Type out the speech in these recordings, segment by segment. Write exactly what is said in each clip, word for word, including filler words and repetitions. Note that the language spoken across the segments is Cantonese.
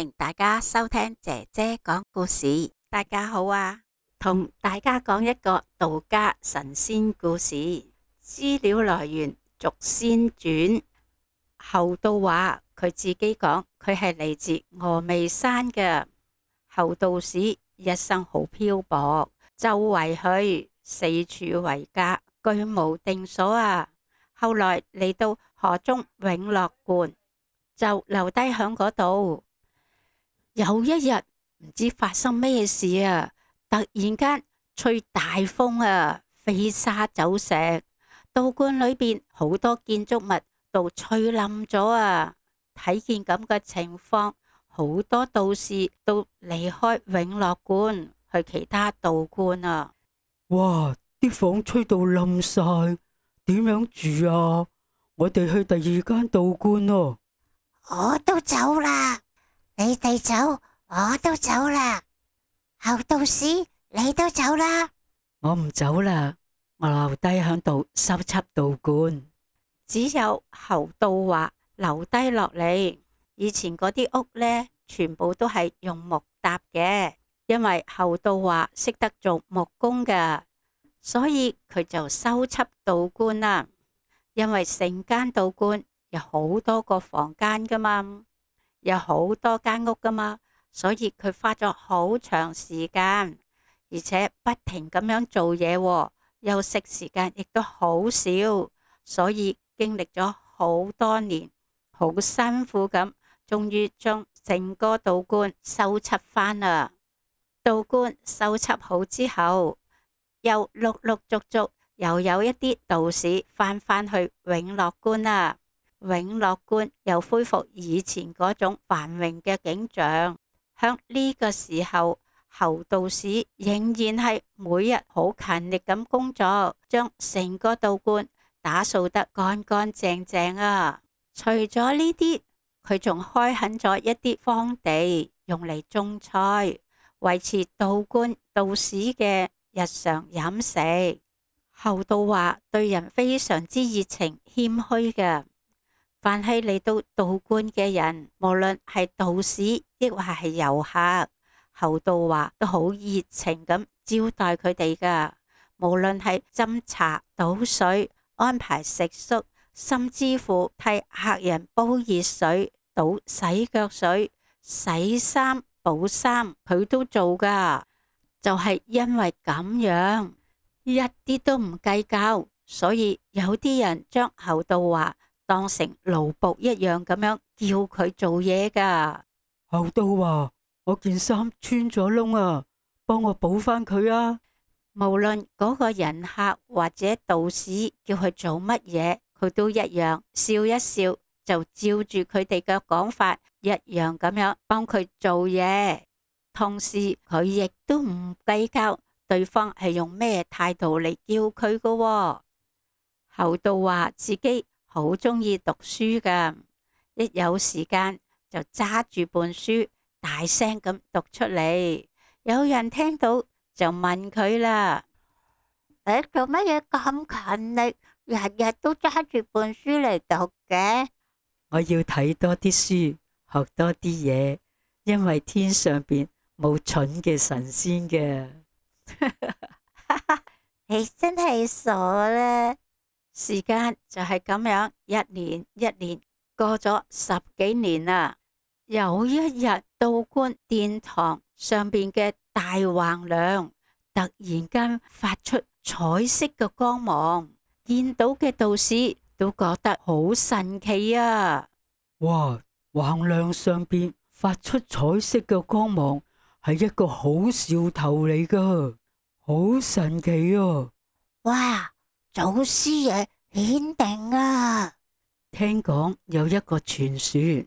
迎大家收聽姐姐講故事。大家好啊，同大家講一個道家神仙故事。資料來源《續仙傳》。侯道華佢自己講，佢係嚟自峨眉山嘅。侯道士一生好漂泊，周圍去，四處為家，居無定所啊。後來嚟到河中永樂觀，就留低響嗰度。有一日唔知發生咩事啊，突然間吹大風啊，飛沙走石，道觀裏邊好多建築物都吹冧咗啊。睇見咁嘅情況，好多道士都離開永樂觀去其他道觀啊。哇！啲風吹到冧晒，點樣住啊？我哋去第二間道觀咯。我都走啦，你哋走，我都走啦。侯道士，你都走啦？我唔走啦，我留低響度修葺道觀。只有侯道華留低落嚟。以前嗰啲屋呢，全部都係用木搭嘅，因為侯道華識得做木工㗎，所以佢就修葺道觀啦。因為成間道觀有好多個房間噶嘛，有好多間屋噶嘛，所以佢花咗好長時間，而且不停咁樣做嘢，休息時間亦都好少，所以經歷咗好多年，好辛苦咁，終於將整個道觀修葺翻啦。道觀修葺好之後，又陸陸續續又有一啲道士翻返去永樂觀啦。永樂觀又恢復以前嗰種繁榮嘅景象。響呢個時候，侯道士仍然係每日好勤力咁工作，將成個道觀打掃得乾乾淨淨啊。除咗呢啲，佢仲開墾咗一啲荒地，用嚟種菜，維持道觀道士嘅日常飲食。侯道華對人非常之熱情謙虛嘅，凡係嚟到道觀嘅人，無論係道士亦或係遊客，侯道華都好熱情咁招待佢哋噶。無論係斟茶倒水、安排食宿，甚至乎替客人煲熱水、倒洗腳水、洗衫補衫，佢都做噶。就係因為咁樣，一啲都唔計較，所以有啲人將侯道華當成奴僕一樣咁樣叫佢做嘢噶。侯道華，我件衫穿咗窿啊，幫我補翻佢啊！無論嗰個人客或者道士叫佢做乜嘢，佢都一樣笑一笑，就照住佢哋嘅講法一樣咁樣幫佢做嘢。同時佢亦都唔計較對方係用咩態度嚟叫佢噶喎。侯道華自己好中意讀書噶，一有時間就揸住本書大聲咁讀出嚟。有人聽到就問佢啦：你做乜嘢咁勤力，日日都揸住本書嚟讀嘅？我要睇多啲書，學多啲嘢，因為天上邊冇蠢嘅神仙嘅。你真係傻啦！時間就係咁樣，一年一年過咗十幾年啦。有一日，道觀殿堂上邊嘅大橫梁突然間發出彩色嘅光芒，見到嘅道士都覺得好神奇啊！哇！橫梁上邊發出彩色嘅光芒，係一個好兆頭嚟噶，好神奇啊！哇！祖師爺顯靈啊！聽講有一個傳說，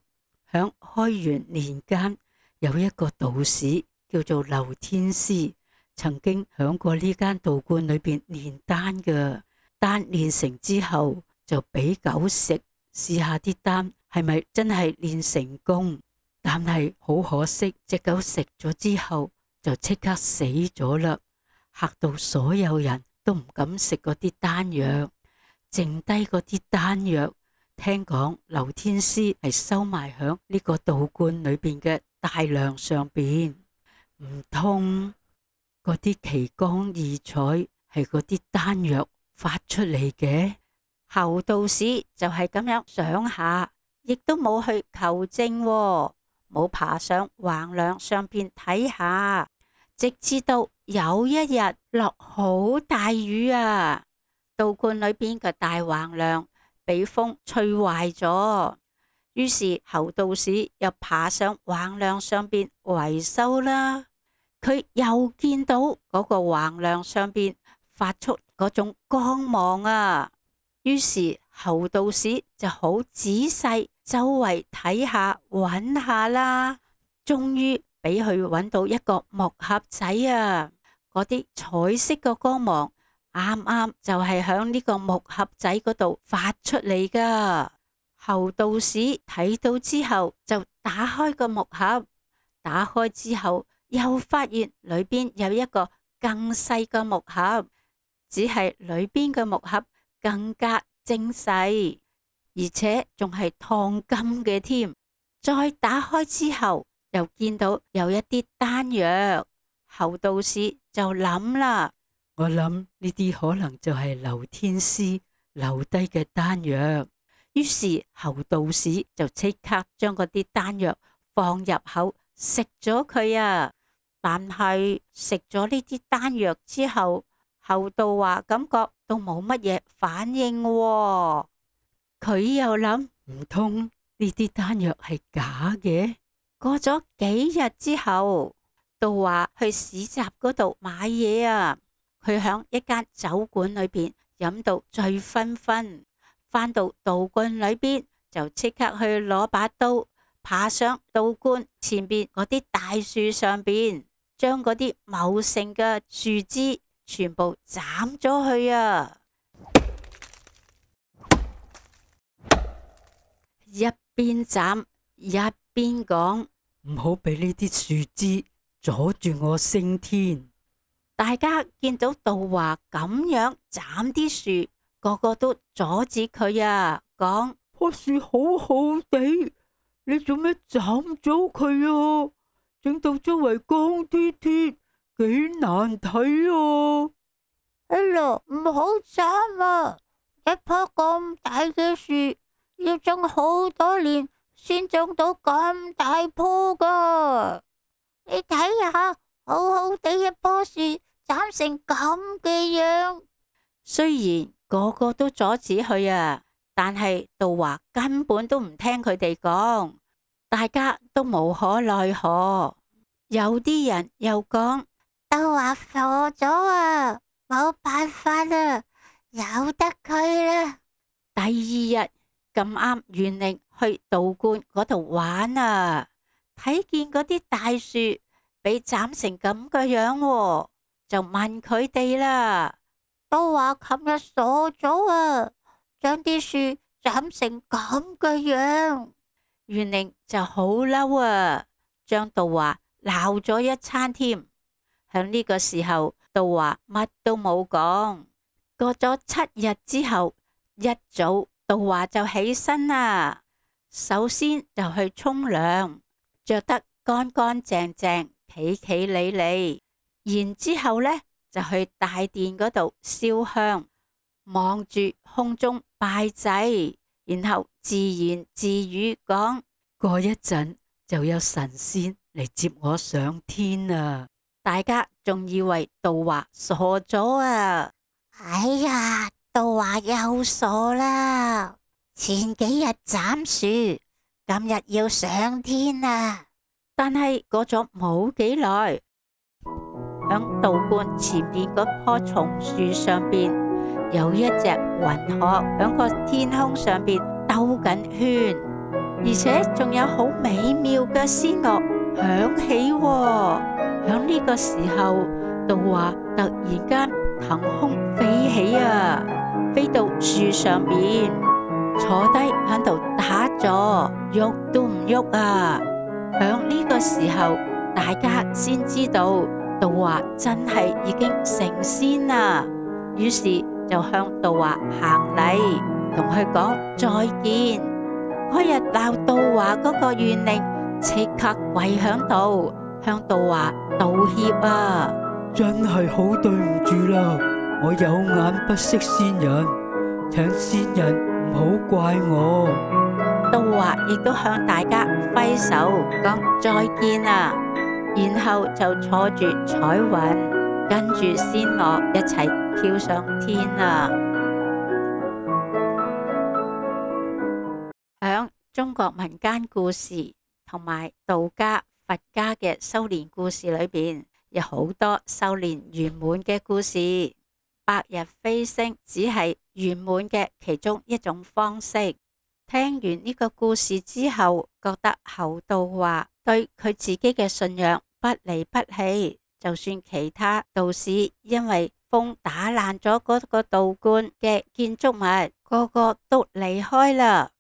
響開元年間，有一個道士叫做劉天師，曾經響過呢間道觀裏邊煉丹嘅。丹煉成之後，就俾狗食，試下啲丹係咪真係煉成功。但係好可惜，隻狗食咗之後就即刻死咗啦，嚇到所有人都唔敢食嗰啲丹藥。剩低嗰啲丹藥，聽講劉天師係收埋響呢個道觀裏邊嘅大梁上邊。唔通嗰啲奇光異彩係嗰啲丹藥發出嚟嘅？侯道士就係咁樣想下，亦都冇去求證喎，冇爬上橫梁上邊睇下，直至到有一日落好大雨啊，道觀裏邊嘅大橫梁俾風吹壞咗，於是侯道士又爬上橫梁上邊維修啦。佢又見到嗰個橫梁上邊發出嗰種光芒啊，於是侯道士就好仔細周圍睇下揾下啦，終於俾佢揾到一個木盒仔啊！嗰啲彩色嘅光芒啱啱就係響呢個木盒仔嗰度發出嚟噶。侯道士睇到之後就打開個木盒，打開之後又發現裏邊有一個更細嘅木盒，只係裏邊嘅木盒更加精細，而且仲係燙金嘅添。再打開之後，又見到有一啲丹藥。侯道士就諗啦，我諗呢啲可能就係劉天師留低嘅丹藥。於是侯道士就即刻將嗰啲丹藥放入口食咗佢啊！但係食咗呢啲丹藥之後，侯道華感覺都冇乜嘢反應喎。佢又諗，唔通呢啲丹藥係假嘅？過咗幾日之後，道華去市集嗰度買嘢啊！佢響一間酒館裏邊飲到醉醺醺，返到道觀裏邊就即刻去攞把刀，爬上道觀前邊嗰啲大樹上邊，將嗰啲茂盛嘅樹枝全部斬咗去啊！一邊斬一邊講，唔好俾呢啲樹枝阻住我升天。大家見到道華咁樣斬啲樹，個個都阻止佢啊，講，棵樹好好地，你做咩斬咗佢啊？整到周圍光脫脫，幾難睇啊！哎呀，唔好斬啊！一棵咁大嘅樹，要種好多年先種到咁大棵噶。你睇下，好好地一棵樹斬成咁嘅樣。雖然個個都阻止佢啊，但係道華根本都唔聽佢哋講，大家都無可奈何。有啲人又講，道華傻咗啊，冇辦法啦，由得佢啦。第二日咁啱袁寧去道觀嗰度玩啊，睇見嗰啲大樹被斬成咁嘅樣喎，就問佢哋啦。道華琴日傻咗啊，將啲樹斬成咁嘅樣。袁寧就好嬲啊，將道華鬧咗一餐添。響呢個時候，道華乜都冇講。過咗七日之後，一早道華就起身啦。首先就去沖涼，着得乾乾淨淨、企企理理。然之後呢，就去大殿嗰度燒香，望住空中拜祭，然後自言自語講：過一陣就有神仙嚟接我上天啊！大家仲以為道華傻咗啊！哎呀，道華又傻啦！前幾日斬樹，今日要上天啊！但係過咗冇幾耐，響道觀前邊嗰棵松樹上邊，有一隻雲鶴響個天空上邊兜緊圈，而且仲有好美妙嘅仙樂響起喎。響呢個時候，道華突然間騰空飛起啊，飛到樹上邊，坐低響度打坐，喐都唔喐啊。響呢個時候，大家先知道道華真係已經成仙啦。於是就向道華行禮，同佢講再見。嗰日鬧道華嗰個袁寧即刻跪響度，向道華道歉啊！真係好對唔住啦，我有眼不識先人，請先人唔好怪我。道華亦都向大家揮手講再見啊，然後就坐住彩雲，跟住仙鵝一齊飄上天啊！響中國民間故事同埋道家、佛家嘅修煉故事裏邊，有好多修煉圓滿嘅故事。白日飛升只係圓滿嘅其中一種方式。聽完呢個故事之後，覺得侯道華對佢自己嘅信仰不離不棄，就算其他道士因為風打爛咗嗰個道觀嘅建築物，個個都離開啦，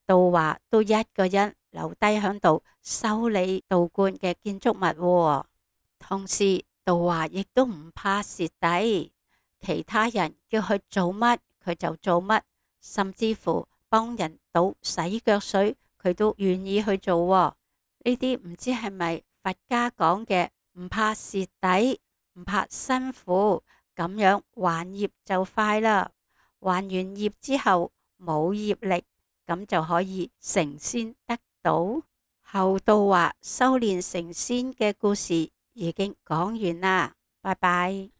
道華都一個人留低響度修理道觀嘅建築物。同時道華亦都唔怕蝕底，其他人叫佢做乜佢就做乜，甚至乎幫人倒洗腳水佢都願意去做。呢啲唔知係咪佛家講嘅唔怕蝕底，唔怕辛苦，咁樣還業就快啦。還完業之後冇業力，咁就可以成仙得道。侯道華修煉成仙嘅故事已經講完啦，拜拜。